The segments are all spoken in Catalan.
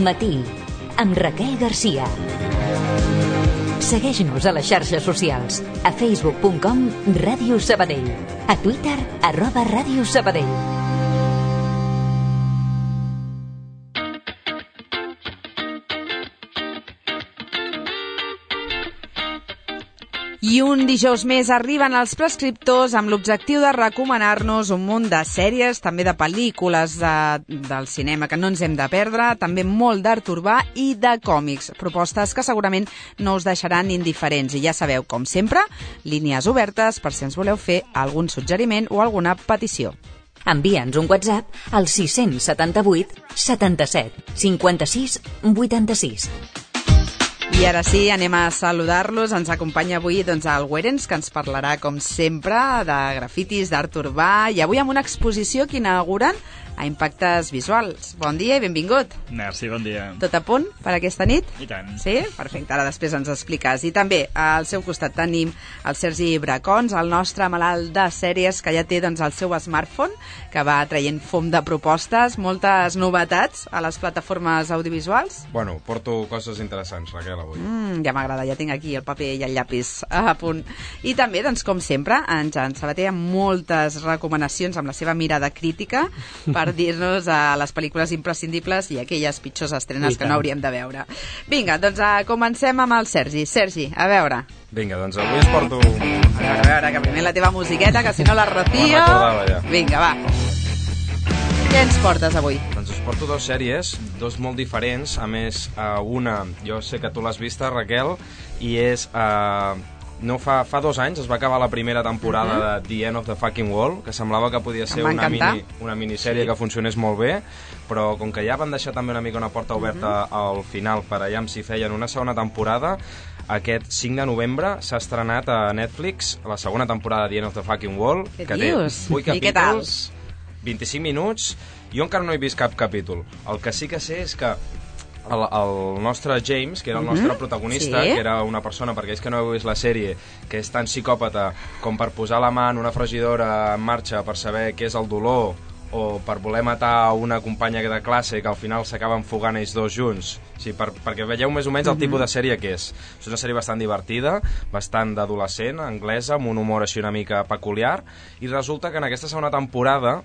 Matí, amb Raquel Garcia. Segueix-nos a les xarxes socials, a facebook.com/Ràdio Sabadell, a Twitter @Ràdio Sabadell. I un dijous més arriben els prescriptors amb l'objectiu de recomanar-nos un munt de sèries, també de pel·lícules del cinema que no ens hem de perdre, també molt d'art urbà i de còmics. Propostes que segurament no us deixaran indiferents. I ja sabeu, com sempre, línies obertes per si ens voleu fer algun suggeriment o alguna petició. Envia'ns un WhatsApp al 678 77 56 86. I ara sí, anem a saludar-los. Ens acompanya avui el Werens, que ens parlarà, com sempre, de grafitis, d'art urbà, i avui amb una exposició que inauguren a Impactes Visuals. Bon dia i benvingut. Merci, bon dia. Tot a punt per aquesta nit? I tant. Sí? Perfecte, ara després ens expliques. I també al seu costat tenim el Sergi Bracons, el nostre malalt de sèries, que ja té el seu smartphone, que va traient fum de propostes, moltes novetats a les plataformes audiovisuals. Bueno, porto coses interessants, Raquel, avui. Ja m'agrada, ja tinc aquí el paper i el llapis a punt. I també, com sempre, en Jan Sabater amb moltes recomanacions amb la seva mirada crítica per dir-nos a les pel·lícules imprescindibles i aquelles pitjors estrenes que no hauríem de veure. Vinga, comencem amb el Sergi. Sergi, a veure. Vinga, avui es porto... A veure, que primer la teva musiqueta, que si no la Rocío... Me'n recordava, ja. Vinga, va. Què ens portes avui? Doncs us porto dos sèries, dos molt diferents. A més, una, jo sé que tu l'has vista, Raquel, i és... No fa 2 anys es va acabar la primera temporada de The End of the Fucking World, que semblava que podia ser una minissèrie que funcionés molt bé, però com que ja van deixar també una mica una porta oberta al final per allà si feien una segona temporada, aquest 5 de novembre s'ha estrenat a Netflix la segona temporada de The End of the Fucking World, que té 8 capítols, 25 minuts. Jo encara no he vist cap capítol. El que sí que sé és que el nostre James, que era el nostre protagonista, que era una persona, perquè és que no heu vist la sèrie, que és tan psicòpata com per posar la mà en una fregidora en marxa per saber què és el dolor, o per voler matar una companya de classe que al final s'acaben fugant ells dos junts. Sí, perquè veieu més o menys el tipus de sèrie que és. És una sèrie bastant divertida, bastant d'adolescent, anglesa, amb un humor així una mica peculiar, i resulta que en aquesta segona temporada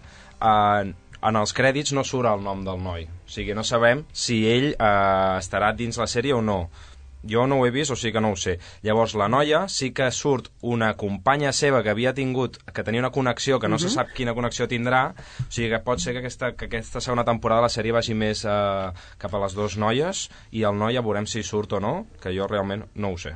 en els crèdits no surt el nom del noi. O sigui, no sabem si ell estarà dins la sèrie o no. Jo no ho he vist, o sigui que no ho sé. Llavors, la noia sí que surt una companya seva que havia tingut, que tenia una connexió, que no se sap quina connexió tindrà, o sigui que pot ser que aquesta segona temporada la sèrie vagi més cap a les dues noies, i el noi ja veurem si surt o no, que jo realment no ho sé.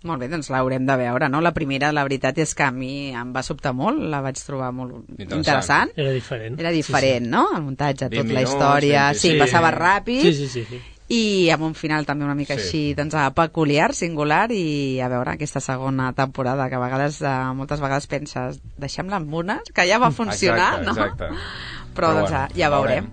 Molt bé, l'haurem de veure, no? La primera, la veritat és que a mi em va sobtar molt, la vaig trobar molt interessant. Era diferent. Era diferent, sí. No? El muntatge, tot la història... Sí, passava ràpid. Sí. I amb un final també una mica així, peculiar, singular, i a veure aquesta segona temporada, que a vegades, moltes vegades penses, deixem-la amb una, que ja va funcionar, exacte. Però ja veurem.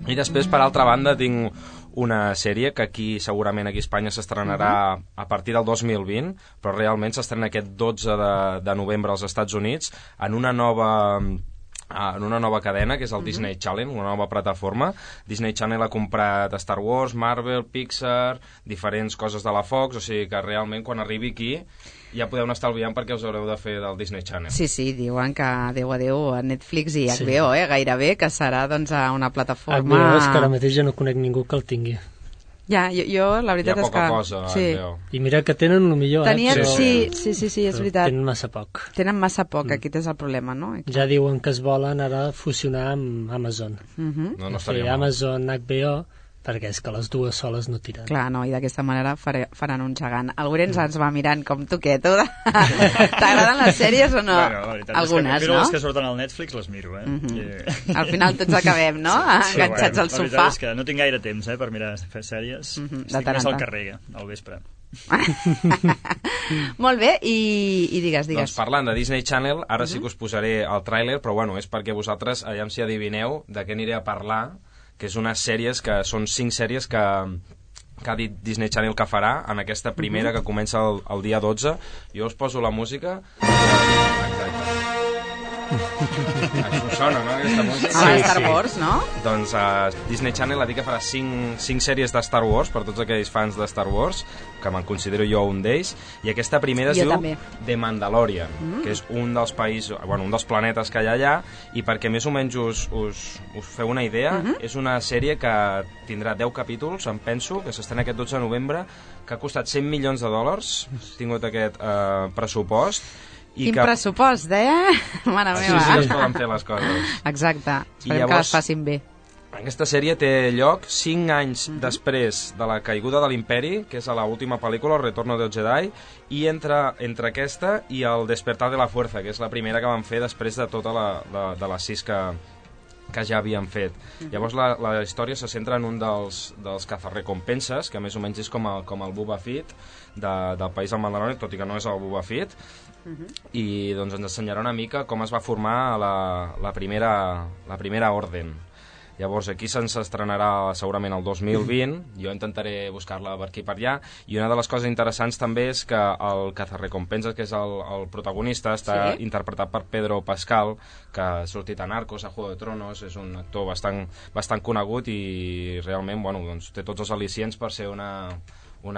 I després, per altra banda, tinc una sèrie que segurament aquí a Espanya s'estrenarà a partir del 2020, però realment s'estrena aquest 12 de novembre als Estats Units en una nova cadena, que és el Disney Channel, una nova plataforma. Disney Channel ha comprat Star Wars, Marvel, Pixar, diferents coses de la Fox, o sigui que realment quan arribi aquí ja podeu anar estalviant perquè us haureu de fer del Disney Channel. Sí, diuen que adeu a Netflix i HBO, gairebé, que serà una plataforma... HBO és que ara mateix jo no conec ningú que el tingui. Ja, jo la veritat és que... Hi ha poca cosa, HBO. I mira que tenen el millor, Sí, és veritat. Tenen massa poc. Aquest és el problema, no? Ja diuen que es volen ara fusionar amb Amazon. No estaria mal. Amazon, HBO... perquè és que les dues soles no tiren. Clar, no, i d'aquesta manera faran un gegant. El Werens ens va mirant com tu què, tu? T'agraden les sèries o no? Bueno, la veritat algunes, és que no? les que surten al Netflix les miro, Al final tots acabem, no? Enganxats al sofà. La veritat és que no tinc gaire temps per mirar sèries. Estic més al carrer, al vespre. Molt bé, i digues. Doncs parlant de Disney Channel, ara sí que us posaré el tràiler, però bueno, és perquè vosaltres, aviam si adivineu de què aniré a parlar, que és unes sèries que són 5 sèries que ha dit Disney Channel que farà en aquesta primera que comença el dia 12. Jo us poso la música. Exacte. Això sona, no? Aquesta música. Star Wars, no? Doncs Disney Channel ha dit que farà 5 sèries de Star Wars per tots aquells fans de Star Wars, que me'n considero jo un d'ells, i aquesta primera es diu The Mandalorian, que és un dels països, un dels planetes que hi ha allà, i perquè més o menys us feu una idea, és una sèrie que tindrà 10 capítols, em penso, que s'estrena aquest 12 de novembre, que ha costat $100 milions, ha tingut aquest pressupost. Quin pressupost, Mare meva. Així sí es poden fer les coses. Exacte, esperem que les facin bé. Aquesta sèrie té lloc 5 anys després de la caiguda de l'Imperi, que és a l'última pel·lícula, El Retorno del Jedi, i entre aquesta i El Despertar de la Fuerza, que és la primera que van fer després de tota de les 6 que ja havien fet. Llavors la història se centra en un dels cazarrecompenses, que més o menys és com el Boba Fett del país del Mandalorian, tot i que no és el Boba Fett, i doncs ens ensenyarà una mica com es va formar la primera orden. Llavors aquí se'ns estrenarà segurament el 2020, jo intentaré buscar-la per aquí per allà, i una de les coses interessants també és que el cazarrecompenses, que és el protagonista, està interpretat per Pedro Pascal, que ha sortit a Narcos, a Juego de Tronos, és un actor bastant conegut i realment doncs, té tots els al·licients per ser una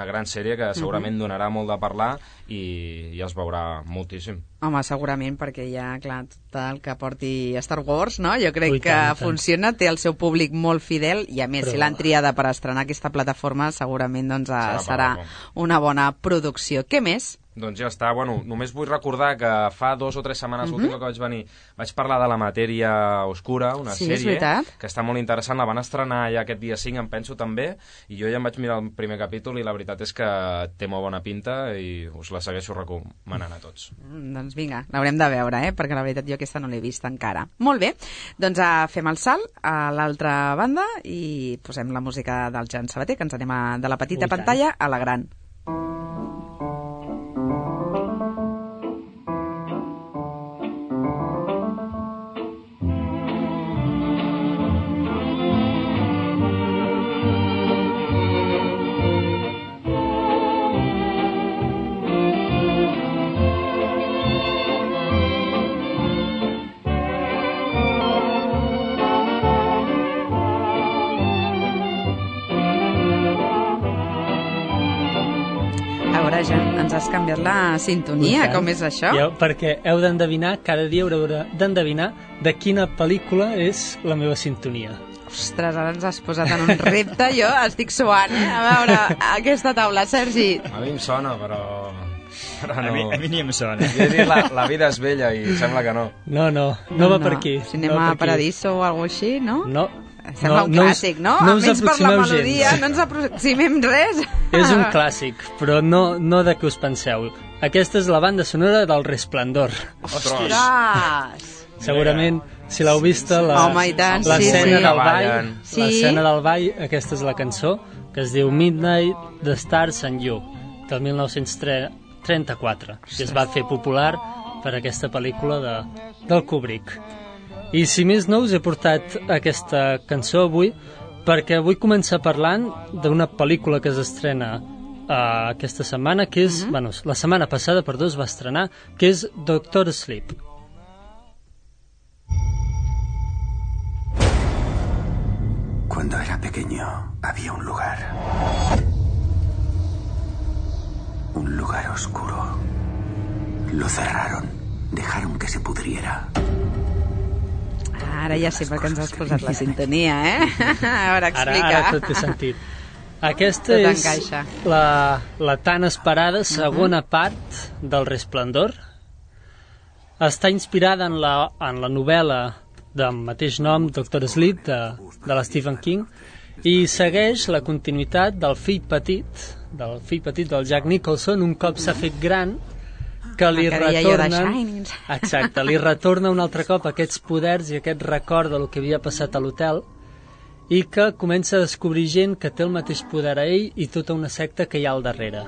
gran sèrie que segurament donarà molt de parlar i es veurà moltíssim. Home, segurament, perquè ja, clar, tot el que porti Star Wars, no? Jo crec que funciona, té el seu públic molt fidel i, a més, si l'han triada per estrenar aquesta plataforma, segurament doncs, serà una bona producció. Què més? Doncs ja està. Només vull recordar que fa 2 o 3 setmanes l'última que vaig venir vaig parlar de La Matèria Oscura, una sèrie que està molt interessant. La van estrenar ja aquest dia 5, em penso, també, i jo ja em vaig mirar el primer capítol i la veritat és que té molt bona pinta i us la segueixo recomanant a tots. Doncs vinga, l'haurem de veure, perquè la veritat jo aquesta no l'he vista encara. Molt bé, doncs fem el salt a l'altra banda i posem la música del Jan Sabater, que ens anem de la petita pantalla a la gran. Ens has canviat la sintonia, com és això? Perquè heu d'endevinar, cada dia haureu d'endevinar de quina pel·lícula és la meva sintonia. Ostres, ara ens has posat en un repte, jo estic suant, A veure, aquesta taula, Sergi. A mi em sona, però no. A mi ni em sona. Jo he dit la vida és vella i sembla que no. No va per aquí. Cinema Paradiso o alguna així, no? No. Sembla un clàssic, no? Almenys per la melodia, no ens aproximem res. És un clàssic, però no de què us penseu. Aquesta és la banda sonora del Resplendor. Ostres! Segurament, si l'heu vista, l'escena del ball, aquesta és la cançó, que es diu Midnight, The Stars and You, del 1934, que es va fer popular per aquesta pel·lícula del Kubrick. I si més no, us he portat aquesta cançó avui perquè vull començar parlant d'una pel·lícula que s'estrena aquesta setmana, que és, la setmana passada, es va estrenar, que és Doctor Sleep. Cuando era pequeño había un lugar oscuro. Lo cerraron, dejaron que se pudriera. Ara ja sé per què ens has posat la sintonia, A veure, explica. Ara tot té sentit. Aquesta és la tan esperada segona part del Resplendor. Està inspirada en la novel·la del mateix nom, Doctor Sleep, de la Stephen King, i segueix la continuïtat del fill petit del Jack Nicholson, un cop s'ha fet gran, que li retornen... Exacte, li retorna un altre cop aquests poders i aquest record del que havia passat a l'hotel i que comença a descobrir gent que té el mateix poder a ell i tota una secta que hi ha al darrere.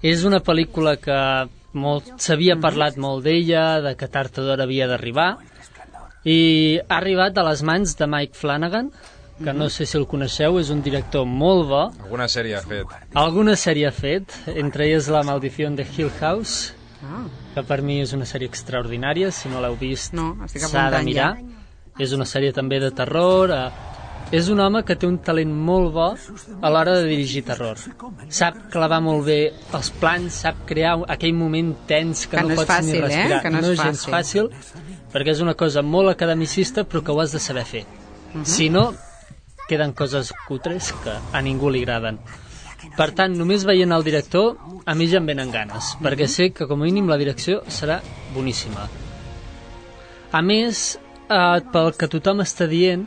És una pel·lícula que s'havia parlat molt d'ella, de que tard o d'hora havia d'arribar, i ha arribat a les mans de Mike Flanagan, que no sé si el coneixeu, és un director molt bo. Alguna sèrie ha fet, entre elles La Maldición de Hill House, que per mi és una sèrie extraordinària, si no l'heu vist s'ha de mirar. És una sèrie també de terror, és un home que té un talent molt bo a l'hora de dirigir terror. Sap clavar molt bé els plans, sap crear aquell moment tens que no pots ni respirar. Que no és gens fàcil, perquè és una cosa molt academicista, però que ho has de saber fer. Si no, queden coses cutres que a ningú li agraden. Per tant, només veient el director, a mi ja em venen ganes, perquè sé que com a mínim la direcció serà boníssima. A més, pel que tothom està dient,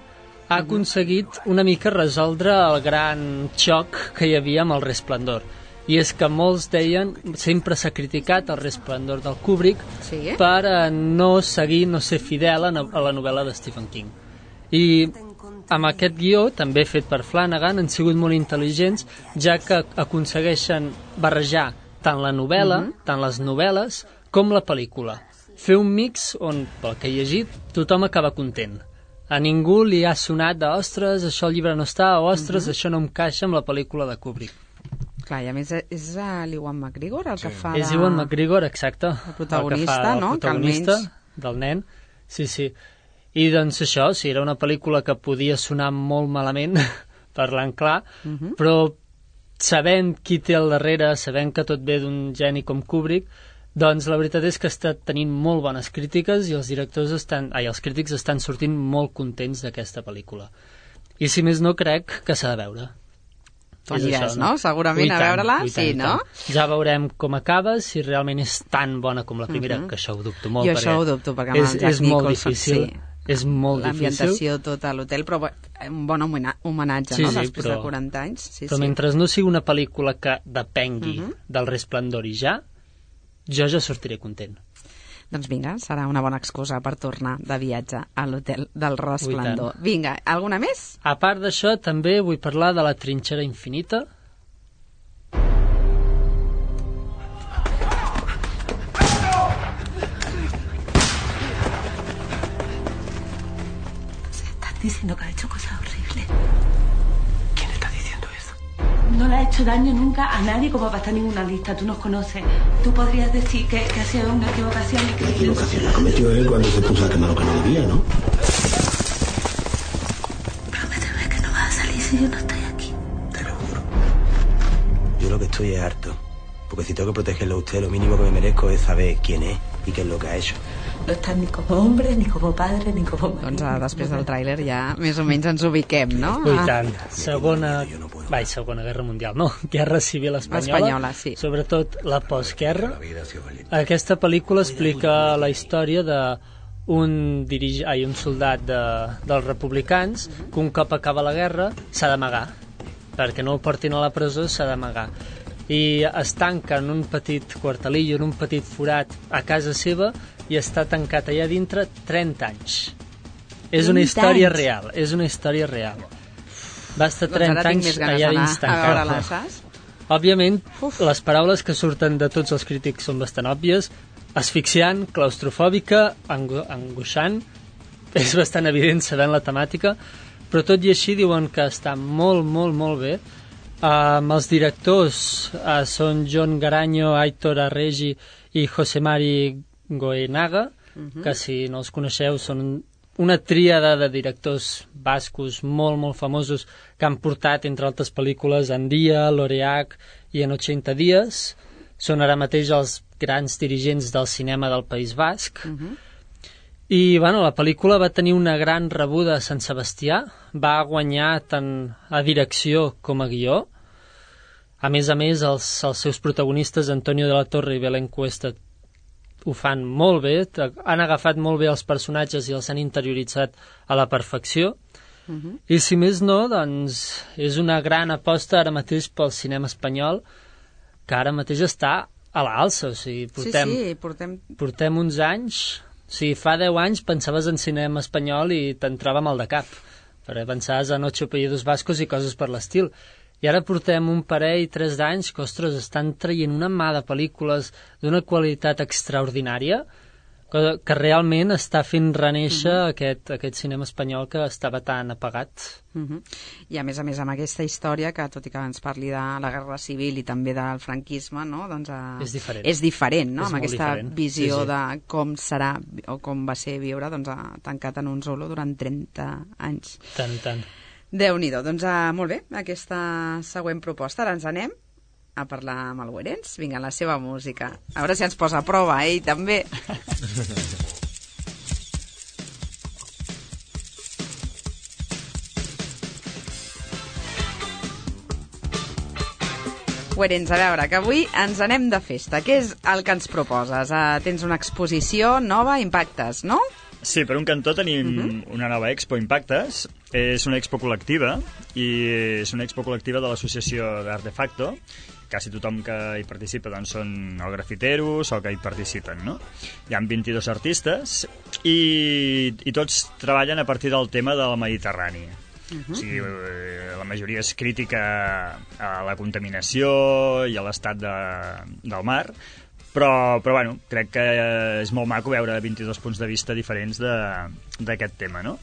ha aconseguit una mica resoldre el gran xoc que hi havia amb el Resplendor. I és que molts deien, sempre s'ha criticat el Resplendor del Kubrick per no seguir, no ser fidel a la novel·la de Stephen King. I amb aquest guió, també fet per Flanagan, han sigut molt intel·ligents, ja que aconsegueixen barrejar tant la novel·la, tant les novel·les, com la pel·lícula. Fer un mix on, pel que he llegit, tothom acaba content. A ningú li ha sonat de ostres, això al llibre no està, o ostres, això no encaixa amb la pel·lícula de Kubrick. Clar, i a més és l'Ewan McGregor el que fa És Ewan McGregor, exacte. El protagonista, no? El protagonista del nen. Sí. I doncs això, era una pel·lícula que podia sonar molt malament, parlant clar, però sabent qui té al darrere, sabent que tot ve d'un geni com Kubrick, doncs la veritat és que està tenint molt bones crítiques i els crítics estan sortint molt contents d'aquesta pel·lícula. I si més no, crec que s'ha de veure. Tu aniràs, no? Segurament a veure-la, sí, no? Ja veurem com acaba, si realment és tan bona com la primera, que això ho dubto molt. Jo això ho dubto, perquè amb el Jack Nicholson, és molt difícil. L'ambientació tota a l'hotel, però un bon homenatge, no? Després de 40 anys. Però mentre no sigui una pel·lícula que depengui del Resplendor i jo ja sortiré content. Doncs vinga, serà una bona excusa per tornar de viatge a l'hotel del Resplendor. Vinga, alguna més? A part d'això, també vull parlar de La trinxera infinita. Estás diciendo que ha hecho cosas horribles. ¿Quién está diciendo eso? No le ha hecho daño nunca a nadie como para estar en ninguna lista. Tú nos conoces. Tú podrías decir que ha sido una equivocación. La equivocación la cometió él cuando se puso a quemar lo que no debía, ¿no? Prométeme que no vas a salir si yo no estoy aquí. Te lo juro. Yo lo que estoy es harto. Porque si tengo que protegerlo a usted, lo mínimo que me merezco es saber quién es i què és el que ha hecho. No estàs ni com hombre, ni com padre, ni com marido. Doncs després del tràiler ja més o menys ens ubiquem, no? I tant. Segona Guerra Mundial, no? Guerra Civil Espanyola, sí. Sobretot la postguerra. Aquesta pel·lícula explica la història d'un soldat dels republicans que un cop acaba la guerra s'ha d'amagar. Perquè no el portin a la presó, s'ha d'amagar. I es tanca en un petit quartelillo, en un petit forat a casa seva, i està tancat allà dintre 30 anys. És una història real, Va estar 30 anys allà dins tancat. Òbviament, les paraules que surten de tots els crítics són bastant òbvies: asfixiant, claustrofòbica, angoixant. És bastant evident sabent la temàtica, però tot i així diuen que està molt, molt, molt bé. Els directors són John Garanyo, Aitor Arregi i José Mari Goenaga, que si no els coneixeu són una tríada de directors bascos molt, molt famosos que han portat, entre altres pel·lícules, Andia, Loreac i En 80 dies. Són ara mateix els grans dirigents del cinema del País Basc. I la pel·lícula va tenir una gran rebuda a Sant Sebastià, va guanyar tant a direcció com a guió. A més, els seus protagonistes, Antonio de la Torre i Belén Cuesta, ho fan molt bé, han agafat molt bé els personatges i els han interioritzat a la perfecció. I si més no, doncs és una gran aposta ara mateix pel cinema espanyol, que ara mateix està a l'alça. O sigui, portem uns anys. Si fa 10 anys pensaves en cinema espanyol i t'entrava mal de cap, perquè pensaves en 8 apellidos vascos i coses per l'estil. I ara portem un parell, 3 d'anys que, ostres, estan traient una mà de pel·lícules d'una qualitat extraordinària, que realment està fent renéixer aquest cinema espanyol que estava tan apagat. I a més amb aquesta història, que tot i que ens parli de la Guerra Civil i també del franquisme, no? Doncs, és diferent, no? Amb aquesta visió de com serà o com va ser viure tancat en un solo durant 30 anys. Tant. Déu-n'hi-do. Doncs molt bé, aquesta següent proposta. Ara ens anem a parlar amb el Güerenç. Vinga, la seva música. A veure si ens posa a prova, ell també. Güerenç, a veure, que avui ens anem de festa. Què és el que ens proposes? Tens una exposició nova, Impactes, no? Sí, per un cantó tenim una nova expo, Impactes. És una expo col·lectiva i és una expo col·lectiva de l'associació d'Artefacto. Quasi tothom que hi participa doncs, són o grafiteros o que hi participen, no? Hi ha 22 artistes i tots treballen a partir del tema del Mediterrani. O sigui, la majoria és crítica a la contaminació i a l'estat del mar, però bueno, crec que és molt maco veure 22 punts de vista diferents d'aquest tema, no?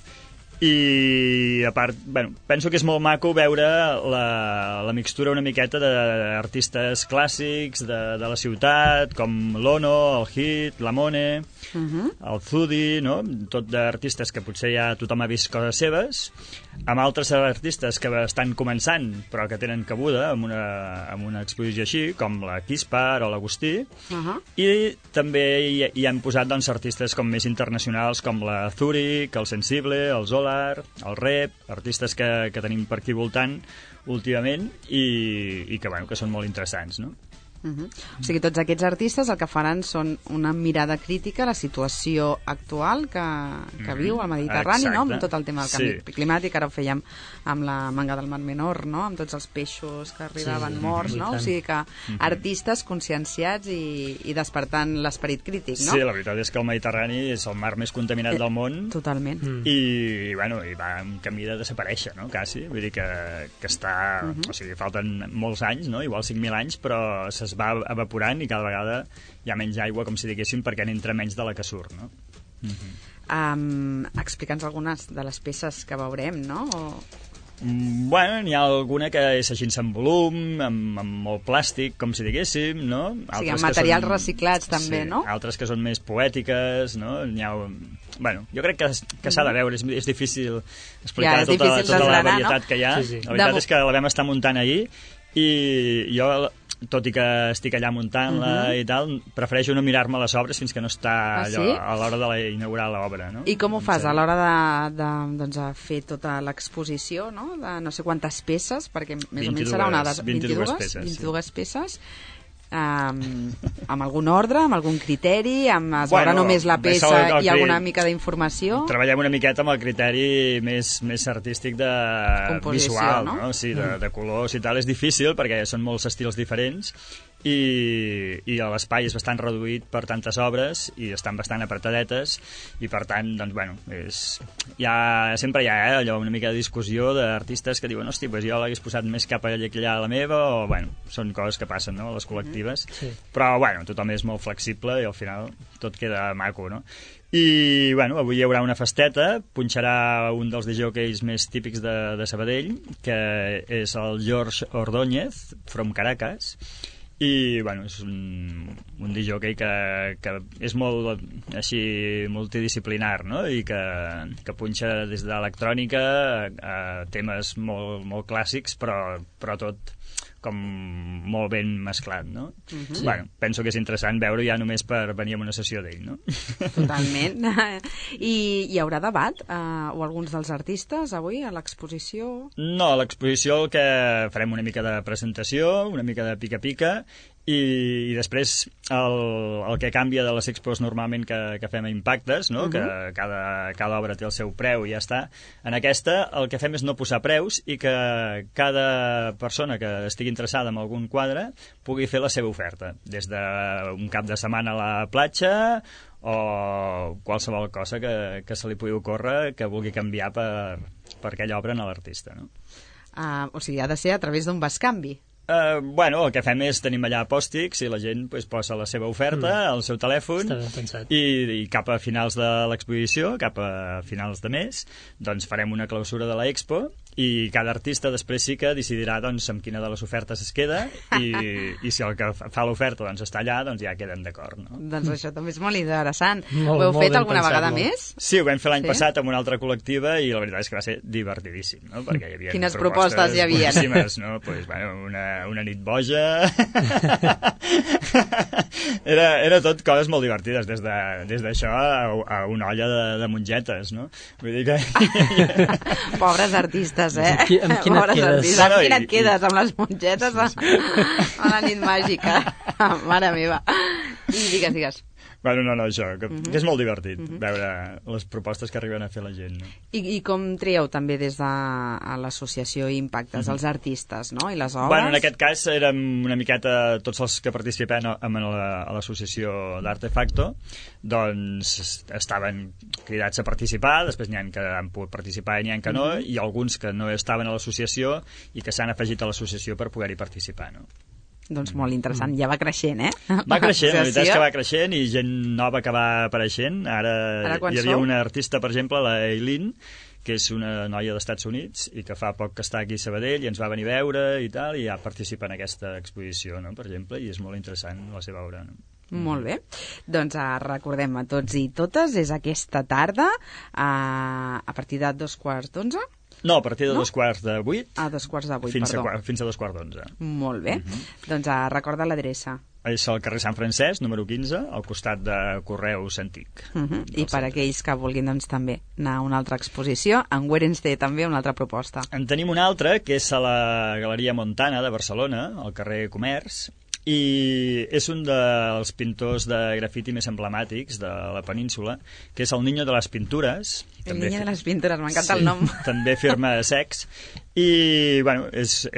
I a part, bueno, penso que és molt maco veure la mixtura una miqueta d'artistes clàssics de la ciutat, com l'Ono, el Hit, la Mone, el Zudi, no? Tot d'artistes que potser ja tothom ha vist coses seves, amb altres artistes que estan començant però que tenen cabuda amb una exposició així, com la Kispar o l'Agustí, i també hi han posat doncs, artistes com més internacionals com la Zurich, el Sensible, el Zolar, el Rep, artistes que tenim per aquí voltant últimament i que, bueno, que són molt interessants, no? O sigui, tots aquests artistes el que faran són una mirada crítica a la situació actual que viu el Mediterrani, no? Amb tot el tema del canvi climàtic. Ara ho fèiem amb la manga del Mar Menor, no? Amb tots els peixos que arribaven morts, no? O sigui que artistes conscienciats i despertant l'esperit crític, no? Sí, la veritat és que el Mediterrani és el mar més contaminat del món. Totalment. I bueno, i va en camí de desaparèixer, no? Quasi. Vull dir que està... O sigui, falten molts anys, no? Igual 5.000 anys, però es va evaporant i cada vegada hi ha menys aigua, com si diguéssim, perquè n'entra menys de la que surt, no? Explica'ns algunes de les peces que veurem, no? Bueno, n'hi ha alguna que és així en volum, amb molt plàstic, com si diguéssim, no? O sigui, amb materials reciclats també, no? Altres que són més poètiques, no? N'hi ha... Bueno, jo crec que s'ha de veure, és difícil explicar tota la varietat que hi ha. La veritat és que la vam estar muntant ahir i jo, tot i que estic allà muntant-la i tal, prefereixo no mirar-me les obres fins que no està a l'hora d'inaugurar l'obra, no? I com ho fas a l'hora de fer tota l'exposició, no? De no sé quantes peces, perquè més o menys serà una de 22 peces. Amb algun ordre, amb algun criteri, es veurà només la peça i alguna mica d'informació? Treballem una miqueta amb el criteri més artístic visual, no? Sí, de colors i tal. És difícil perquè són molts estils diferents i l'espai és bastant reduït per tantes obres i estan bastant apretadetes i per tant, doncs, bueno, sempre hi ha allò, una mica de discussió d'artistes que diuen, hosti, pues jo l'hagués posat més cap allà a la meva, o, bueno, són coses que passen, no?, a les col·lectives, però, bueno, tothom és molt flexible i al final tot queda maco, no? I, bueno, avui hi haurà una festeta, punxarà un dels DJs més típics de Sabadell, que és el George Ordóñez, from Caracas, i bueno, és un DJ que és molt així multidisciplinar, no? I que punxa des d'electrònica a temes molt, molt clàssics, però tot com molt ben mesclat, no? Bueno, penso que és interessant veure ja només per venir a una sessió d'ell, no? Totalment. I hi haurà debat o alguns dels artistes avui a l'exposició? No, a l'exposició el que farem una mica de presentació, una mica de pica-pica, i després el que canvia de les expos normalment que fem a Impactes, no? Que cada obra té el seu preu i ja està. En aquesta el que fem és no posar preus i que cada persona que estigui interessada en algun quadre pugui fer la seva oferta, des d'un cap de setmana a la platja o qualsevol cosa que se li pugui ocórrer que vulgui canviar per aquella obra a l'artista, no? O sigui, ha de ser a través d'un bescanvi. Bueno, el que fem és tenim allà pòstics i la gent posa la seva oferta al seu telèfon i cap a finals de l'exposició, cap a finals de mes, doncs farem una clausura de l'Expo i cada artista després sí que decidirà doncs, amb quina de les ofertes es queda i si el que fa l'oferta doncs, està allà, doncs ja queden d'acord. No? Doncs això també és molt interessant. Ho heu fet alguna vegada més? Sí, ho vam fer l'any passat amb una altra col·lectiva i la veritat és que va ser divertidíssim. No? Perquè hi havia quines propostes hi havia? No? Pues, bueno, una nit boja. era tot coses molt divertides, des d'això a una olla de mongetes, no? Vull dir que... Pobres artistes, eh? Amb quina et quedes? Amb quina et quedes? Amb les mongetes a la nit màgica. Mare meva. I digues. Bueno, no, això, que és molt divertit veure les propostes que arriben a fer la gent. No? I com trieu també des de l'associació Impactes els artistes, no? I les obres? Bueno, en aquest cas érem una miqueta tots els que participem a l'associació d'Artefacto, doncs estaven cridats a participar, després n'hi ha que han pogut participar i n'hi ha que no, i alguns que no estaven a l'associació i que s'han afegit a l'associació per poder-hi participar, no? Doncs molt interessant, ja va creixent, eh? Va creixent, la veritat és que va creixent i gent nova que va apareixent. Ara hi havia una artista, per exemple, la Eileen, que és una noia d'Estats Units i que fa poc que està aquí a Sabadell i ens va venir a veure i tal, i ja participa en aquesta exposició, no? Per exemple, i és molt interessant la seva obra, no? Molt bé, doncs recordem a tots i totes, és aquesta tarda a partir de 11:15. No, a partir de 7:45. A 7:45, fins a 11:15. Molt bé. Doncs recorda l'adreça. És al carrer Sant Francesc, número 15, al costat de Correus Antic. I per aquells que vulguin doncs, també anar a una altra exposició, en Werens té també una altra proposta. En tenim una altra, que és a la Galeria Montana de Barcelona, al carrer Comerç, i és un dels pintors de grafiti més emblemàtics de la península, que és el Niño de les Pintures. El Niño de les Pintures, m'encanta el nom. També firma Sex. I, bueno, és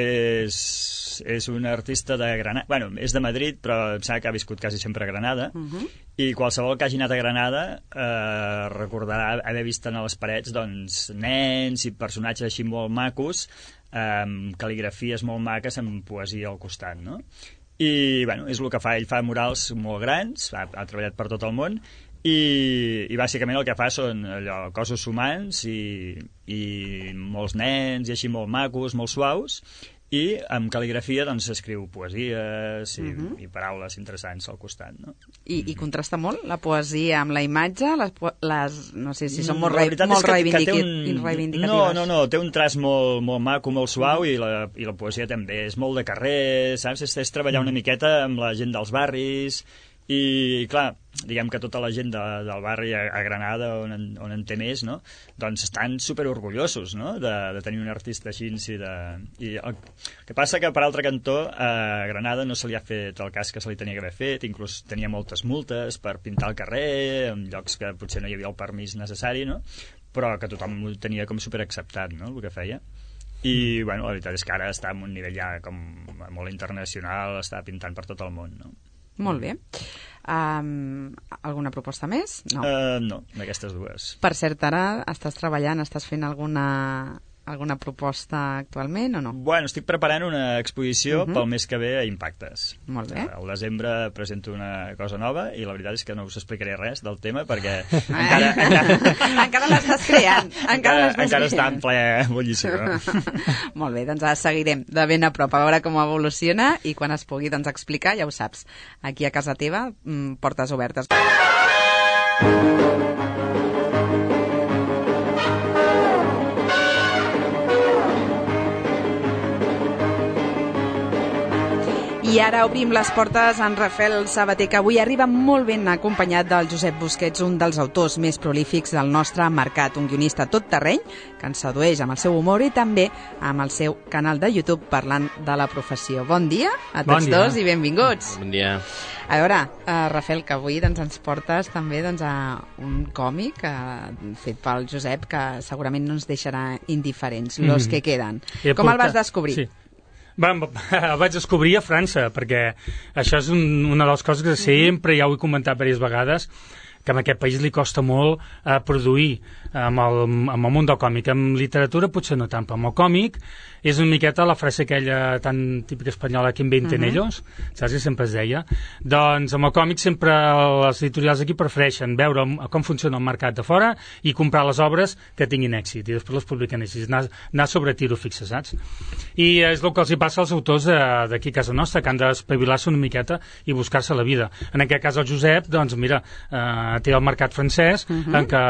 un artista de Granada. Bueno, és de Madrid, però em sembla que ha viscut quasi sempre a Granada. I qualsevol que hagi anat a Granada recordarà haver vist a les parets doncs, nens i personatges així molt macos, cal·ligrafies molt maques amb poesia al costat, no? I bueno, és el que fa, ell fa murals molt grans, ha treballat per tot el món i bàsicament el que fa són allò, cossos humans i molts nens i així molt macos, molt suaus, i amb cal·ligrafia doncs escriu poesies i paraules interessants al costat, no? I contrasta molt la poesia amb la imatge? No sé si són molt reivindicatives. No, té un traç molt maco, molt suau i la poesia també és molt de carrer, saps? És treballar una miqueta amb la gent dels barris i, clar, diguem que tota la gent del barri a Granada, on en té més, no? Doncs estan superorgullosos, no? de tenir un artista així. I el que passa que, per altre cantó, a Granada no se li ha fet el cas que se li tenia que haver fet, inclús tenia moltes multes per pintar el carrer, en llocs que potser no hi havia el permís necessari, no? Però que tothom ho tenia com superacceptat, no?, el que feia. I, bueno, la veritat és que ara està en un nivell ja com molt internacional, està pintant per tot el món, no? Molt bé. Alguna proposta més? No, d'aquestes dues. Per cert, ara estàs treballant, estàs fent alguna proposta actualment o no? Bueno, estic preparant una exposició pel mes que ve a Impactes. Molt bé. Al desembre presento una cosa nova i la veritat és que no us explicaré res del tema perquè encara l'estàs creant. Encara està en ple bullició. Molt bé, doncs seguirem de ben a prop a veure com evoluciona i quan es pugui doncs, explicar, ja ho saps, aquí a casa teva, portes obertes. I ara obrim les portes a en Rafael Sabater, que avui arriba molt ben acompanyat del Josep Busquets, un dels autors més prolífics del nostre mercat, un guionista tot terreny que ens sedueix amb el seu humor i també amb el seu canal de YouTube parlant de la professió. Bon dia a tots dos i benvinguts. Bon dia. A veure, Rafael, que avui doncs, ens portes també doncs, a un còmic fet pel Josep que segurament no ens deixarà indiferents, Los que queden. Com el vas descobrir? Sí. El vaig descobrir a França, perquè això és una de les coses que sempre ja ho he comentat diverses vegades. que en aquest país li costa molt produir amb el món del còmic. En literatura potser no tant, però amb el còmic és una miqueta la frase aquella tan típica espanyola que inventen ellos, saps que sempre es deia? Doncs amb el còmic sempre les editorials aquí prefereixen veure com funciona el mercat de fora i comprar les obres que tinguin èxit i després les publiquen així, anar sobre tiro fixe, saps? I és el que els hi passa als autors d'aquí a casa nostra, que han d'espavilar-se una miqueta i buscar-se la vida. En aquest cas el Josep, doncs mira, té el mercat francès en què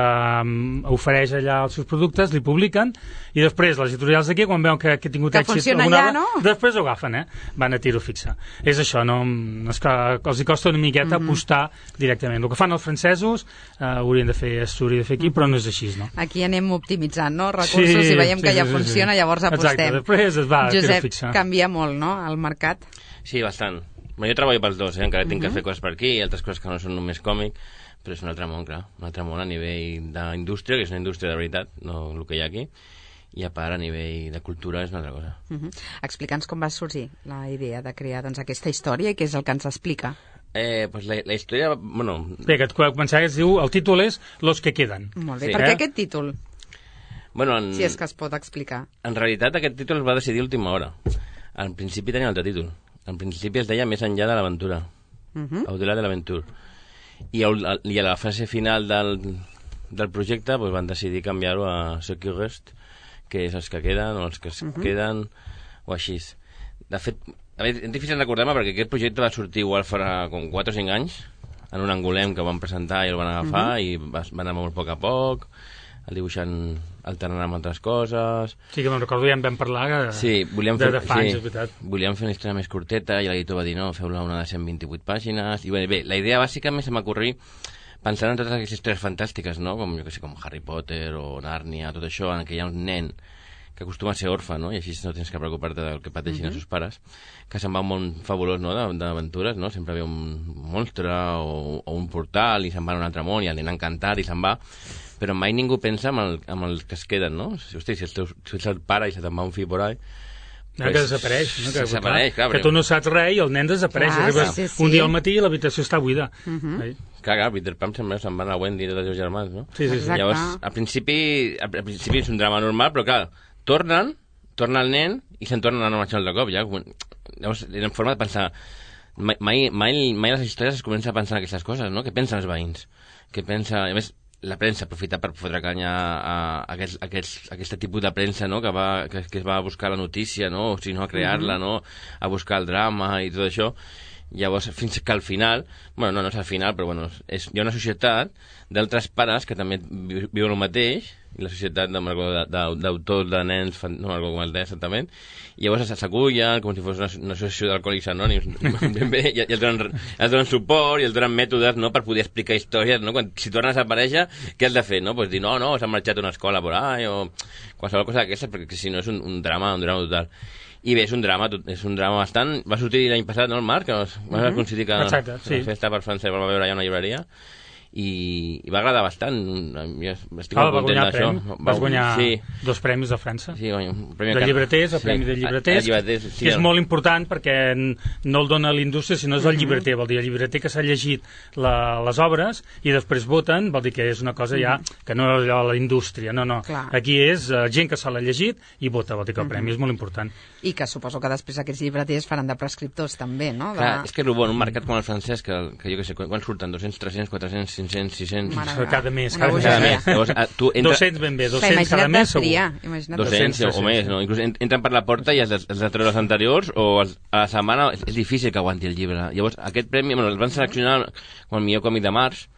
ofereix allà els seus productes, li publiquen i després les editorials d'aquí, quan veuen que ha tingut èxit alguna no? Després ho agafen, van a tiro fixe. És això, no és que els hi costa una miqueta apostar directament. El que fan els francesos hauria de fer aquí, però no és així, no? Aquí anem optimitzant, no? Recursos i veiem que ja funciona, llavors apostem. Exacte, després es va a tiro fixe. Josep, canvia molt, no?, el mercat. Sí, bastant. Jo treballo pels dos, encara tinc que fer coses per aquí i altres coses que no són només còmic, però és un altre món, clar, un altre món a nivell d'indústria, que és una indústria de veritat, no el que hi ha aquí, i a part a nivell de cultura és una altra cosa. Explica'ns com va sorgir la idea de crear aquesta història i què és el que ens explica. Pues la història, bueno... Bé, que començar es diu, el títol és Los que quedan. Molt bé, per què aquest títol? Bueno, si és que es pot explicar. En realitat aquest títol es va decidir a última hora. En principi tenia un altre títol. En principi es deia Més enllà de l'aventura. Au-delà de l'aventura. I a la fase final del projecte pues, van decidir canviar-ho a Ce qui reste, que és els que queden o els que es queden o així. De fet, és difícil recordar-me perquè aquest projecte va sortir igual farà com 4 o 5 anys en un angolem que van presentar i el van agafar i va anar molt a poc, el dibuixant alternant amb altres coses. Sí, que me'n recordo, ja en vam parlar volíem de fa anys, és veritat. Volíem fer una història més curteta i l'editor va dir no, feu-la una de 128 pàgines i bé, la idea bàsica més se m'acorrí pensant en totes aquestes històries fantàstiques, no? Com, jo que sé, com Harry Potter o Nàrnia, tot això, en què hi ha un nen que acostuma a ser orfe, no? I així no tens que preocupar-te del que pateixin els seus pares, que se'n va un món fabulós, no?, d'aventures, no? Sempre ve un monstre o un portal i se'n va a un altre món i el nen encantat i se'n va, però mai ningú pensa en els que es queden, no? Hosti, si ets el pare i se te'n va un fill por ahí, que desapareix, no? Desapareix, clar, que tu no saps res i el nen desapareix. Arribes un dia al matí i l'habitació està buida. Clar, Peter Pan se'n va a Wendy i tots els seus germans, no? Sí. Llavors, al principi és un drama normal, però clar, torna el nen i se'n tornen a marxar de cop. Llavors, era en forma de pensar... Mai les històries es comença a pensar en aquestes coses, no? Què pensen els veïns? Què pensa... A més, la premsa aprofita per fotre canya a aquest tipus de premsa, no? que es va a buscar la notícia, no? O si no, a crear-la, no? A buscar el drama i tot això. Llavors, fins que al final, bueno, no és al final, però bueno, hi ha una societat d'altres pares que també viuen el mateix, i la societat d'autors de nens, no me'n recordo com es deia exactament, i llavors s'acullen com si fos una associació d'alcohòlics anònims, i els donen suport i els donen mètodes, no?, per poder explicar històries, no? Si tornen a desaparèixer, què has de fer, no? Pues dir, no, s'han marxat a una escola por ahí, o qualsevol cosa d'aquesta, perquè si no és un drama total. I bé, és un drama bastant... Va sortir l'any passat, no, el Marc? Que va coincidir que la festa per França va veure allà una llibreria i va agradar bastant. Jo estic molt content d'això. Vas guanyar 2 premis de França. Sí, un premi de llibreters, el premi de llibreters, que és molt important perquè no el dona l'indústria, sinó és el llibreter. Vol dir, el llibreter que s'ha llegit les obres i després voten, vol dir que és una cosa ja que no és allò la indústria, no. Aquí és gent que se l'ha llegit i vota, vol dir que el premi és molt important. I que suposo que després aquests llibreters faran de prescriptors també, no? Clar, és que és bo, en un mercat com el francès, que jo què sé, quan surten 200, 300, 400, 500, 600... Cada mes. Llavors, 200 ben bé, 200 cada mes segur. 200 o més, no? Inclús entren per la porta i els de treure els anteriors o a la setmana és difícil que aguanti el llibre. Llavors, aquest premi, el van seleccionar com el millor còmic de març,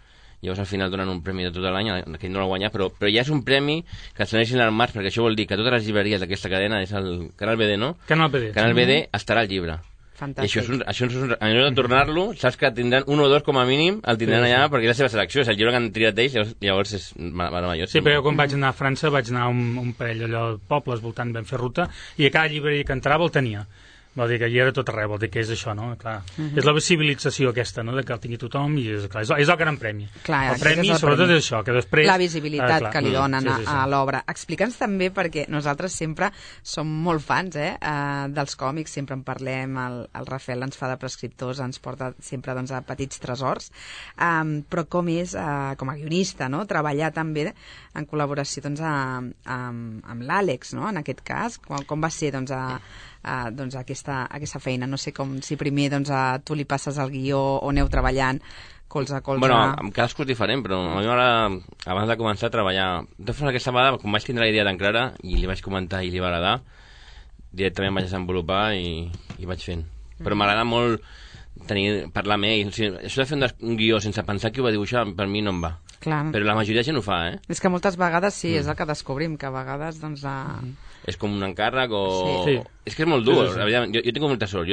llavors al final donen un premi de tot l'any, aquell no l'ha guanyat, però ja és un premi que es doneixin al març, perquè això vol dir que totes les llibreries d'aquesta cadena, és el Canal BD, no? Canal BD. Canal BD estarà al llibre. Fantàstic. I això a l'hora de tornar-lo, saps que tindran 1 o 2 com a mínim, el tindran allà perquè és la seva selecció, és el llibre que han triat d'ells, llavors és meravellós. Sí, però jo quan vaig anar a França vaig anar a un parell allò de pobles voltant, vam fer ruta, i a cada llibreria que entrava el tenia. Vol dir que hi era tot arreu, vol dir que és això, no? Clar. És la visibilització aquesta, no?, de que el tingui tothom, i és el gran premi. Clar, el premi, sobretot, és això, que després... La visibilitat que li donen a l'obra. Explica'ns també, perquè nosaltres sempre som molt fans dels còmics, sempre en parlem, el Rafael ens fa de prescriptors, ens porta sempre a petits tresors, però com és, com a guionista, no?, treballar també en col·laboració amb l'Àlex, no?, en aquest cas, com va ser aquesta feina. No sé si primer tu li passes el guió o aneu treballant colze a colze. Bueno, amb cadascú és diferent, però a mi m'agrada, abans de començar a treballar, de forma aquesta vegada, com vaig tindre la idea tan clara i li vaig comentar i li va agradar, directament vaig desenvolupar i vaig fent. Però m'agrada molt parlar amb ell. O sigui, això de fer un guió sense pensar qui ho va dibuixar, per mi no em va. Clar. Però la majoria de gent ho fa, És que moltes vegades sí, és el que descobrim, que a vegades és com un encàrrec o... Sí. És que és molt dur. Jo tinc molta sort,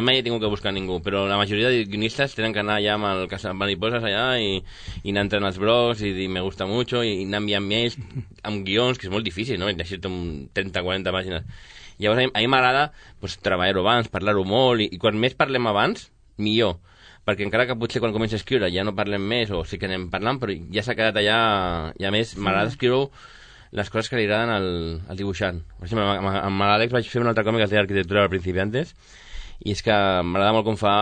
mai he tingut que buscar ningú, però la majoria de guionistes tenen que anar allà amb el caçamariposas allà i anar entrant als blogs i dir me gusta mucho i anar enviant mails amb guions, que és molt difícil, no? Llegir-te 30-40 pàgines. Llavors a mi m'agrada treballar-ho abans, parlar-ho molt, i quan més parlem abans, millor. Perquè encara que potser quan comença a escriure ja no parlem més, o sí que anem parlant, però ja s'ha quedat allà, i a més m'agrada escriure les coses que li agraden al dibuixant. Per exemple, amb l'Àlex vaig fer un altre còmic que es deia Arquitectura de Principiantes, i és que m'agrada molt com fa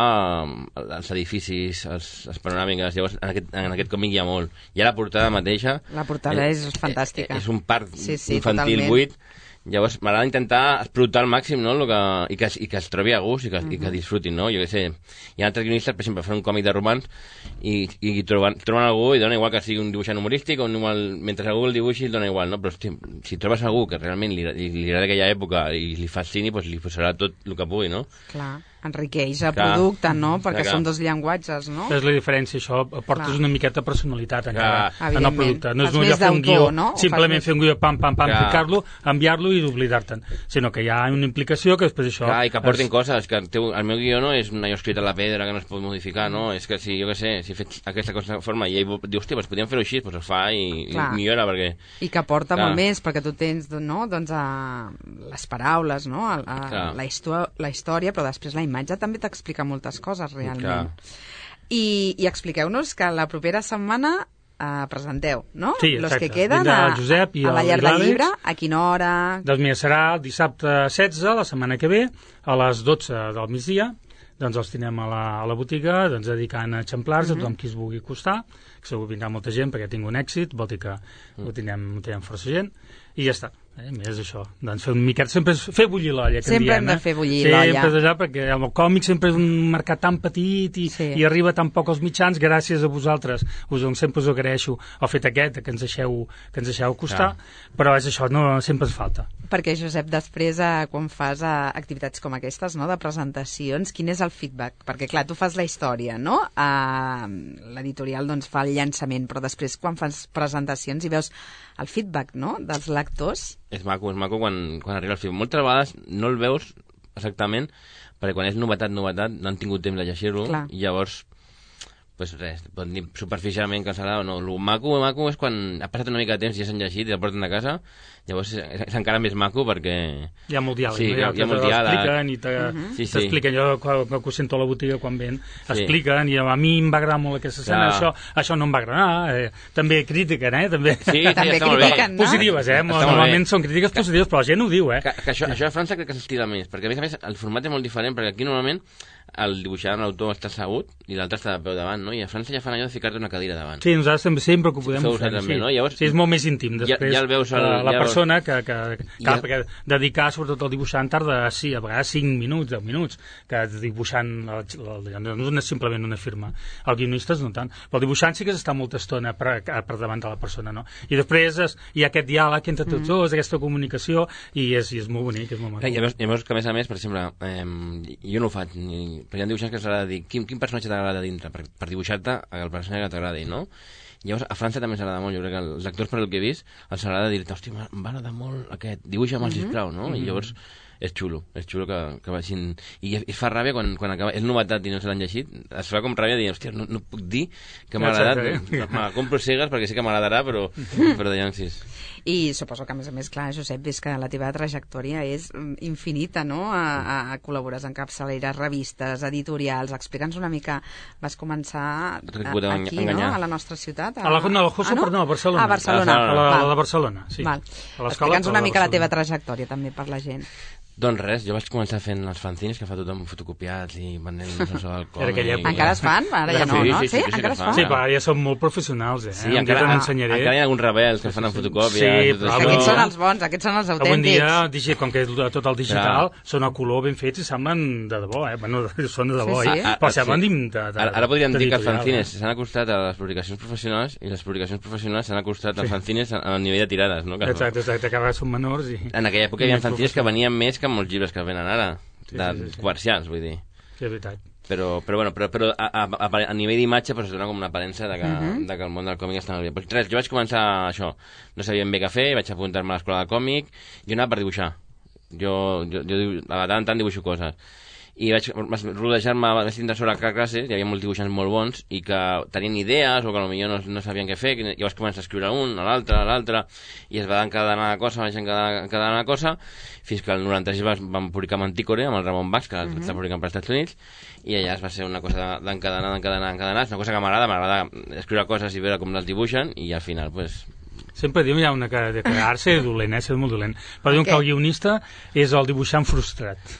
els edificis, les panoràmiques. Llavors en aquest còmic hi ha molt. Hi ha la portada mateixa. La portada és fantàstica. És un parc infantil totalment. buit. Llavors m'agrada intentar explotar al màxim, no? I que es trobi a gust i que disfrutin, no? Jo què sé, hi ha altres guionistes, per exemple, fan un còmic de romans i troben algú i dona igual que sigui un dibuixant humorístic o mentre algú el dibuixi dona igual, no? Però hosti, si trobes algú que realment li agrada aquella època i li fascini, doncs li posarà tot el que pugui, no? Clar, enriqueix el producte, no? Perquè són dos llanguatges, no? És la diferència, això, aportes una miqueta de personalitat encara en el producte. No és només fer un guió, simplement fer un guió, pam, ficar-lo, enviar-lo i oblidar-te'n, sinó que hi ha una implicació que després això... I que aportin coses, que el meu guió no és un allò escrit a la pedra que no es pot modificar, no? És que si, jo què sé, si he fet aquesta cosa de forma i ell diu, hòstia, doncs podríem fer-ho així, doncs es fa i millora, perquè... I que aporta molt més, perquè tu tens, no?, doncs les paraules, no?, la història, però després la imatge també t'explica moltes coses, realment. I expliqueu-nos que la propera setmana presenteu, no? Sí, Los exacte. que queden a la llar del llibre, a quina hora? Doncs mira, serà el dissabte 16, la setmana que ve, a les 12 del migdia, doncs els tindrem a la botiga, doncs dedicant exemplars a tothom qui es vulgui acostar, que segur vindrà molta gent perquè tinc un èxit, vol dir que ho tindrem força gent, i ja està. Més això, doncs fer un miquet, sempre és fer bullir l'olla, que sempre hem de fer bullir l'olla. Sempre és allà, perquè el còmic sempre és un mercat tan petit i arriba tan poc als mitjans, gràcies a vosaltres, sempre us agraeixo el fet aquest, que ens deixeu acostar, però és això, no sempre ens falta. Perquè, Josep, després, quan fas activitats com aquestes, no?, de presentacions, quin és el feedback? Perquè, clar, tu fas la història, no? L'editorial, doncs, fa el llançament, però després, quan fas presentacions i veus el feedback, no?, dels lectors... És maco quan arriba el film. Moltes vegades no el veus exactament, perquè quan és novetat, no han tingut temps de llegir-lo, i llavors, pues res, pot dir superficialment que serà o no. El maco és quan ha passat una mica de temps i ja s'han llegit i el porten a casa, llavors és encara més maco perquè... Hi ha molt diàleg, sí, no? Hi ha molt diàleg. T'expliquen, jo que ho sento a la botiga quan ven, expliquen, i a mi em va agradar molt aquesta escena, això no em va agradar, també critiquen, també critiquen, no? Positives, normalment són crítiques positives, però la gent ho diu, que això a França crec que s'estila més, perquè a més el format és molt diferent, perquè aquí normalment el dibuixant, l'autor està assegut i l'altre està de peu davant, no? I a França ja fan allò de ficar-te una cadira davant. Sí, nosaltres sempre que ho podem fer, sí. No? Llavors, sí, és molt més íntim. Després, ja el veus la persona que perquè dedicar, sobretot al dibuixant, tarda, sí, a vegades 5 minuts, 10 minuts, que dibuixant no és simplement una firma. El guionista no tant. Però el dibuixant sí que està molta estona per davant de la persona, no? I després hi ha aquest diàleg entre tots dos, aquesta comunicació, i és molt bonic, és molt maco. I a més, que a més, per exemple, jo no ho faig, perquè hi ha dibuixants que s'agrada dir quin personatge t'agrada dintre, per dibuixar-te el personatge que t'agradi, no? Llavors, a França també s'agrada molt, jo crec que els actors, per el que he vist, els agrada dir-te, hòstia, m'agrada molt aquest, dibuixa'm, sisplau, no? I llavors és xulo que vagin... I es fa ràbia quan acaba... És novetat i no se l'han llegit. Es fa com ràbia dient, hòstia, no puc dir que m'ha agradat. Me la compro cegues perquè sí que m'agradarà, però ja sí. I suposo que, a més, clar, Josep, ves que la teva trajectòria és infinita, no? Col·labores en capçaleres, revistes, editorials. Explica'ns una mica. Vas començar aquí, no? A la nostra ciutat. A Barcelona. A Barcelona. A la Barcelona, sí. Explica'ns una mica la teva trajectòria, també, per la gent. Doncs res, jo vaig començar fent els fanzines que fa tothom fotocopiats i venent el còmic. Encara es fan? Ara ja no, no? Sí, encara es fan. Sí, però ja són molt professionals, Sí, encara hi ha alguns rebels que fan en fotocòpia. Sí, però aquests són els bons, aquests són els autèntics. Avui dia, com que tot el digital, són a color ben fets i semblen de debò, Bueno, són de debò, però semblen de... Ara podríem dir que els fanzines s'han acostat a les publicacions professionals i les publicacions professionals s'han acostat als fanzines a nivell de tirades, no? Exacte, que ara són menors i... En aquella època hi havia fanzines que venien més que molts llibres que venen ara, comercials, vull dir. Sí, és veritat. Però a nivell d'imatge es dona com una aparença de que el món del còmic està molt bé. Pues res, jo vaig començar això, no sabia ben bé què fer, vaig apuntar-me a l'escola de còmic, jo anava per dibuixar. Jo a tant en tant dibuixo coses. I vaig rodejar-me, vaig tindre sobre cada classe, hi havia molts dibuixants molt bons i que tenien idees o que potser no sabien què fer, i vaig començar a escriure un, a l'altre, i es va encadenar una cosa, fins que el 93 vam publicar Mantícore amb el Ramon Bax, que està publicant per als Estats Units, i allà es va ser una cosa d'encadenar, és una cosa que m'agrada escriure coses i veure com les dibuixen, i al final, pues... Sempre diuen hi ha una que de quedar-se dolent, ser molt dolent. Però diuen que el guionista és el dibuixant frustrat.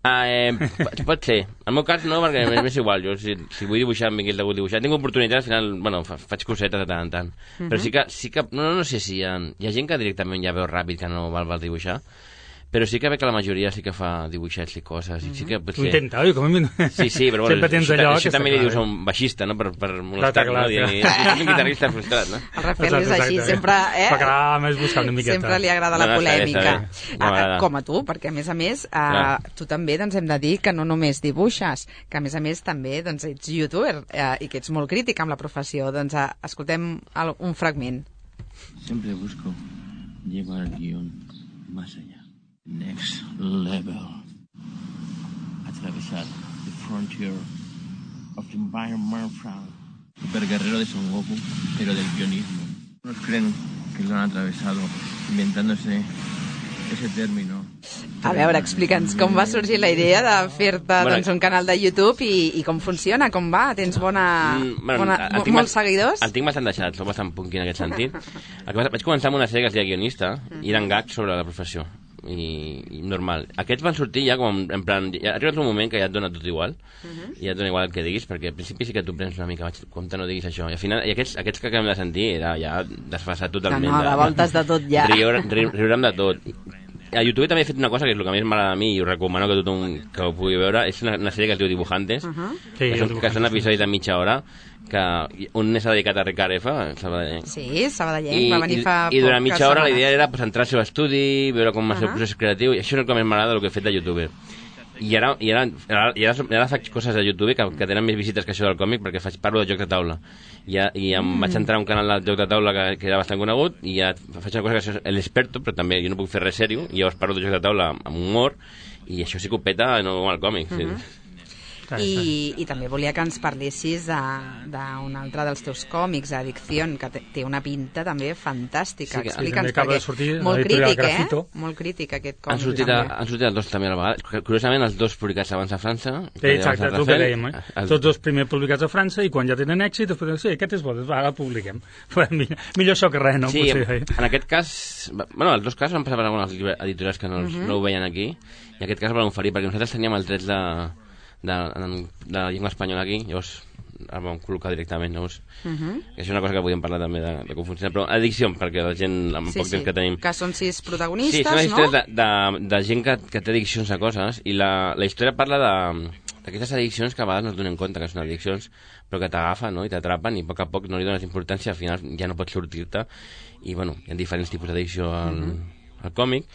Pot ser. En el meu cas no, perquè m'és igual. Jo, si vull dibuixar, m'hagués degut dibuixar. Tinc oportunitats, al final, faig cosetes de tant en tant. Però sí que no sé si hi ha gent que directament ja veu ràpid que no val dibuixar, però sí que veig que la majoria sí que fa dibuixets i coses. I sí que potser... Ho intenta, oi? Sí, però sempre tens allò... Això també li dius a un baixista, no? Per molestar-lo, dient-li... És un guitarrista frustrat, no? El Rafael és així, sempre... Per quedar més buscant una miqueta. Sempre li agrada la polèmica. Com a tu, perquè a més, tu també hem de dir que no només dibuixes, que a més també ets youtuber i que ets molt crític amb la professió. Doncs escoltem un fragment. Siempre busco llevar el guión más allá. Next level. Atravesar the frontier of the environment from Super Guerrero de Son Goku, pero del guionismo. Unos creen que lo han atravesado inventándose ese término. A veure, explica'ns com va sorgir la idea de fer-te un canal de YouTube i com funciona, com va? Tens molts seguidors? El tinc bastant deixat, soc bastant punky en aquest sentit. Vaig començar amb una sèrie que es deia Guionista i eren gags sobre la professió. I normal. Aquests van sortir ja com en plan, ha arribat un moment que ja et dona tot igual i ja et dona igual el que diguis, perquè al principi sí que tu prens una mica, compte, no diguis això, i al final aquests que acabem de sentir era ja desfasat totalment. De voltes de tot ja. Riurem de tot. A YouTube també he fet una cosa que és el que més m'agrada a mi i us recomano que tothom que ho pugui veure, és una sèrie que es diu Dibujantes, que són episodis de mitja hora, que un s'ha dedicat a Ricard F, Sabadellenc. Sí, Sabadellenc, va venir fa poc. I durant mitja hora la idea era centrar el seu estudi, veure com va ser el procés creatiu, i això és el que més m'agrada del que he fet de YouTuber. I ara faig coses a YouTube que tenen més visites que això del còmic, perquè parlo de jocs de taula. I em vaig entrar a un canal de joc de taula que era bastant conegut, i ja faig una cosa que és l'experto, però també jo no puc fer res sèrio, i llavors parlo de jocs de taula amb humor, i això sí que ho peta, no com el còmic. I també volia que ens parlessis d'un altre dels teus còmics, Adicción, que té una pinta també fantàstica. Explica'ns, perquè molt crític, molt crític aquest còmic. Han sortit els dos també a la vegada. Curiosament, els dos publicats abans a França. Exacte, el que dèiem, tots dos primer publicats a França, i quan ja tenen èxit, després sí, aquest és bo, ara el publiquem. Millor això que res, no? Sí, en aquest cas, els dos casos van passar per algunes editorials que no ho veien aquí, i en aquest cas van oferir, perquè nosaltres teníem els drets de la llengua espanyola aquí, llavors el vam col·locar directament, llavors que és una cosa que podíem parlar també de com funciona, però Adicció, perquè la gent amb poc temps que tenim, que són 6 protagonistes, no? Sí, són històries de gent que té addiccions a coses, i la història parla d'aquestes addiccions que a vegades no es donen compte que són addiccions, però que t'agafen, no? I t'atrapen, i a poc a poc no li dones importància, al final ja no pots sortir-te, i bueno, hi ha diferents tipus d'addicció el còmic,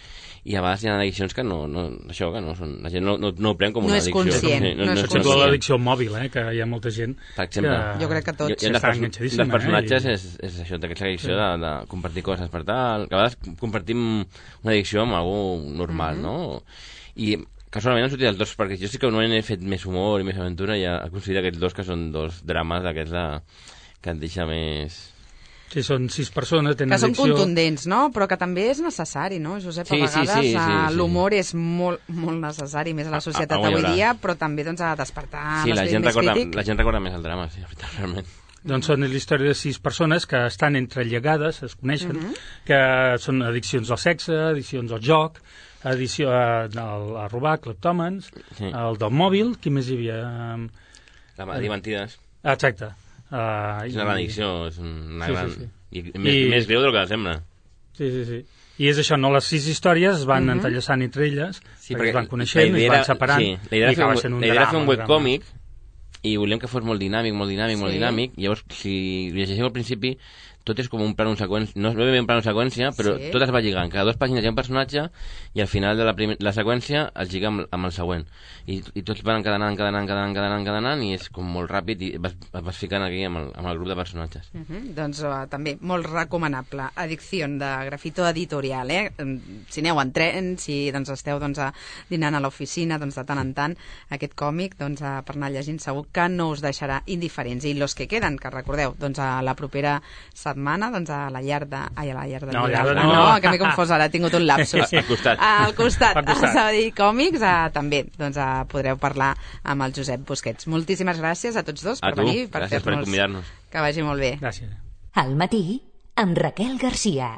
i a vegades hi ha addiccions que no són... La gent no ho pren com una addicció. No és conscient. No és conscient. L'addicció al mòbil, que hi ha molta gent per exemple, jo crec que tots està enganxadíssima. Un dels personatges és això, d'aquesta addicció de compartir coses per tal, que a vegades compartim una addicció amb algú normal, no? I casualment han sortit els dos, perquè jo sí que no he fet més humor i més aventura, i he aconseguit aquests dos que són dos drames d'aquests que et deixa més... Sí, són 6 persones, tenen addicció... Que són contundents, no? Però que també és necessari, no, Josep? A vegades l'humor és molt, molt necessari, més a la societat avui dia, però també doncs, a despertar l'esperit més crític. La gent recorda més el drama, sí, realment. Doncs són la història de 6 persones que estan entrelligades, es coneixen, que són addiccions al sexe, addiccions al joc, addicció a robar, cleptòmens, el del mòbil, qui més hi havia? La dir mentides. Exacte. És una gran addicció, és una gran... I més greu del que sembla. Sí. I és això, no? Les 6 històries es van entrellaçant entre elles, perquè es van coneixent, es van separant, i acaba sent un drama. La idea era fer un webcòmic, i volíem que fos molt dinàmic, llavors, si llegeixeu al principi, tot és com un plano seqüència, no és ben un plano seqüència, però tot es va lligant. Cada 2 pàgines hi ha un personatge i al final de la seqüència es lliga amb el següent. I tots van encadenant i és com molt ràpid i vas ficant aquí amb el grup de personatges. Doncs també molt recomanable. Addicció de Grafito Editorial, Si aneu en tren, si esteu dinant a l'oficina, de tant en tant, aquest còmic per anar llegint segur que no us deixarà indiferents. I los que queden, que recordeu, a la propera setmana, a la llar de... Ai, a la llar de... No, que m'he confós ara, he tingut un lapsus. Al costat, a Sabadell Còmics, també, podreu parlar amb el Josep Busquets. Moltíssimes gràcies a tots dos per venir, per gràcies per convidar-nos. Que vagi molt bé. Gràcies. Al matí, amb Raquel Garcia.